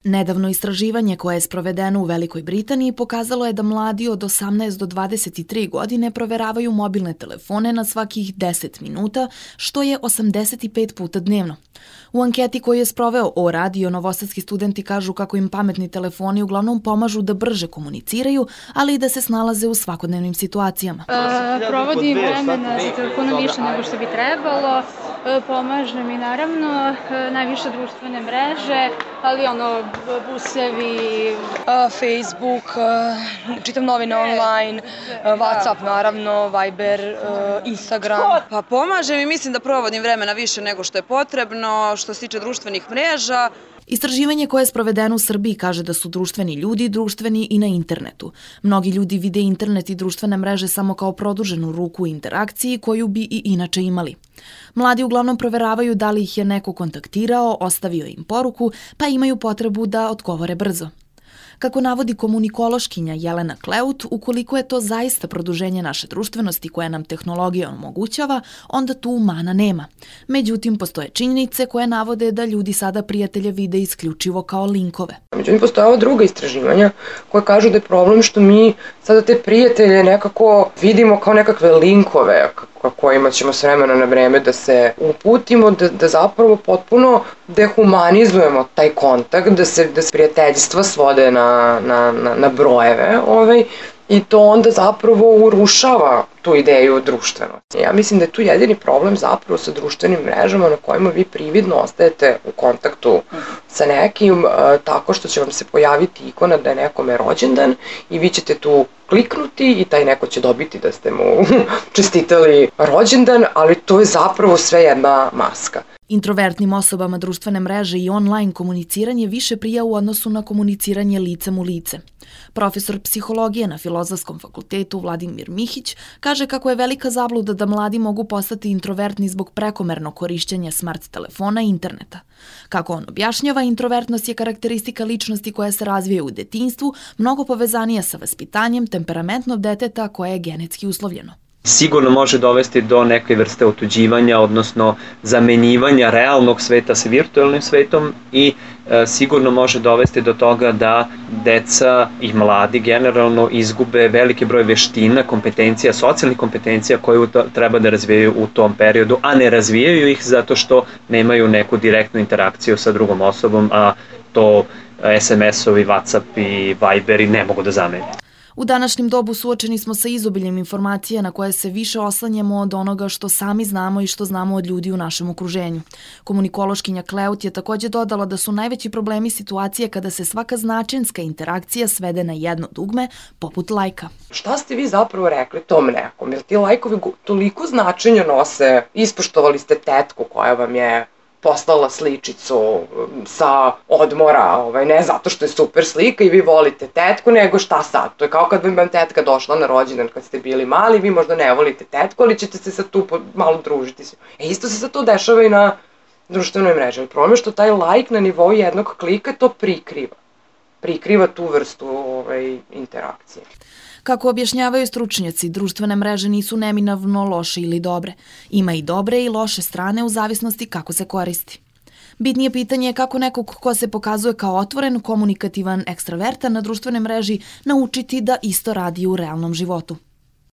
Nedavno istraživanje koje je sprovedeno u Velikoj Britaniji pokazalo je da mladi od 18 do 23 godine proveravaju mobilne telefone na svakih 10 minuta, što je 85 puta dnevno. U anketi koju je sproveo O-radio, novosadski studenti kažu kako im pametni telefoni uglavnom pomažu da brže komuniciraju, ali i da se snalaze u svakodnevnim situacijama. Provodim vremena za telefonom više nego što bi trebalo. Pomaže mi naravno najviše društvene mreže, ali busevi, Facebook, čitam novine online, WhatsApp naravno, Viber, Instagram. Pa pomaže mi, mislim da provodim vremena više nego što je potrebno, što se tiče društvenih mreža. Istraživanje koje je sprovedeno u Srbiji kaže da su društveni ljudi društveni i na internetu. Mnogi ljudi vide internet i društvene mreže samo kao produženu ruku u interakciji koju bi i inače imali. Mladi uglavnom proveravaju da li ih je neko kontaktirao, ostavio im poruku, pa imaju potrebu da odgovore brzo. Kako navodi komunikološkinja Jelena Kleut, ukoliko je to zaista produženje naše društvenosti koje nam tehnologija omogućava, onda tu mana nema. Međutim, postoje činjenice koje navode da ljudi sada prijatelje vide isključivo kao linkove. Međutim, postoje ova druga istraživanja koje kažu da je problem što mi sada te prijatelje nekako vidimo kao nekakve linkove kojima ćemo s vremena na vreme da se uputimo, da zapravo potpuno dehumanizujemo taj kontakt, da se prijateljstva svode na brojeve i to onda zapravo urušava tu ideju društvenosti. Ja mislim da je tu jedini problem zapravo sa društvenim mrežama na kojima vi prividno ostajete u kontaktu sa nekim tako što će vam se pojaviti ikona da je nekome rođendan i vi ćete tu kliknuti i taj neko će dobiti da ste mu čestitali rođendan, ali to je zapravo sve jedna maska. Introvertnim osobama društvene mreže i online komuniciranje više prija u odnosu na komuniciranje licem u lice. Profesor psihologije na Filozofskom fakultetu Vladimir Mihić kaže kako je velika zabluda da mladi mogu postati introvertni zbog prekomernog korišćenja smart telefona i interneta. Kako on objašnjava, introvertnost je karakteristika ličnosti koja se razvije u detinjstvu, mnogo povezanija sa vaspitanjem temperamentnog deteta koje je genetski uslovljeno. Sigurno može dovesti do neke vrste otuđivanja, odnosno zamenjivanja realnog sveta sa virtualnim svetom i sigurno može dovesti do toga da deca i mladi generalno izgube veliki broj veština, kompetencija, socijalnih kompetencija koje treba da razvijaju u tom periodu, a ne razvijaju ih zato što nemaju neku direktnu interakciju sa drugom osobom, a to SMS-ovi, WhatsApp i Viberi ne mogu da zamene. U današnjem dobu suočeni smo sa izobiljem informacija na koje se više oslanjamo od onoga što sami znamo i što znamo od ljudi u našem okruženju. Komunikološkinja Kleut je takođe dodala da su najveći problemi situacije kada se svaka značenska interakcija svede na jedno dugme, poput lajka. Šta ste vi zapravo rekli tom nekom? Jer ti lajkovi toliko značenja nose, ispoštovali ste tetku koja vam je poslala sličicu sa odmora, ne zato što je super slika i vi volite tetku, nego šta sad? To je kao kad bi vam tetka došla na rođendan kad ste bili mali, vi možda ne volite tetku, ali ćete se sad tu malo družiti. Isto se sad to dešava i na društvenoj mreži. Problem je što taj like na nivou jednog klika to prikriva. Prikriva tu vrstu interakcije. Kako objašnjavaju stručnjaci, društvene mreže nisu neminovno loše ili dobre. Ima i dobre i loše strane u zavisnosti kako se koristi. Bitnije pitanje je kako nekog ko se pokazuje kao otvoren, komunikativan, ekstravertan na društvenoj mreži naučiti da isto radi u realnom životu.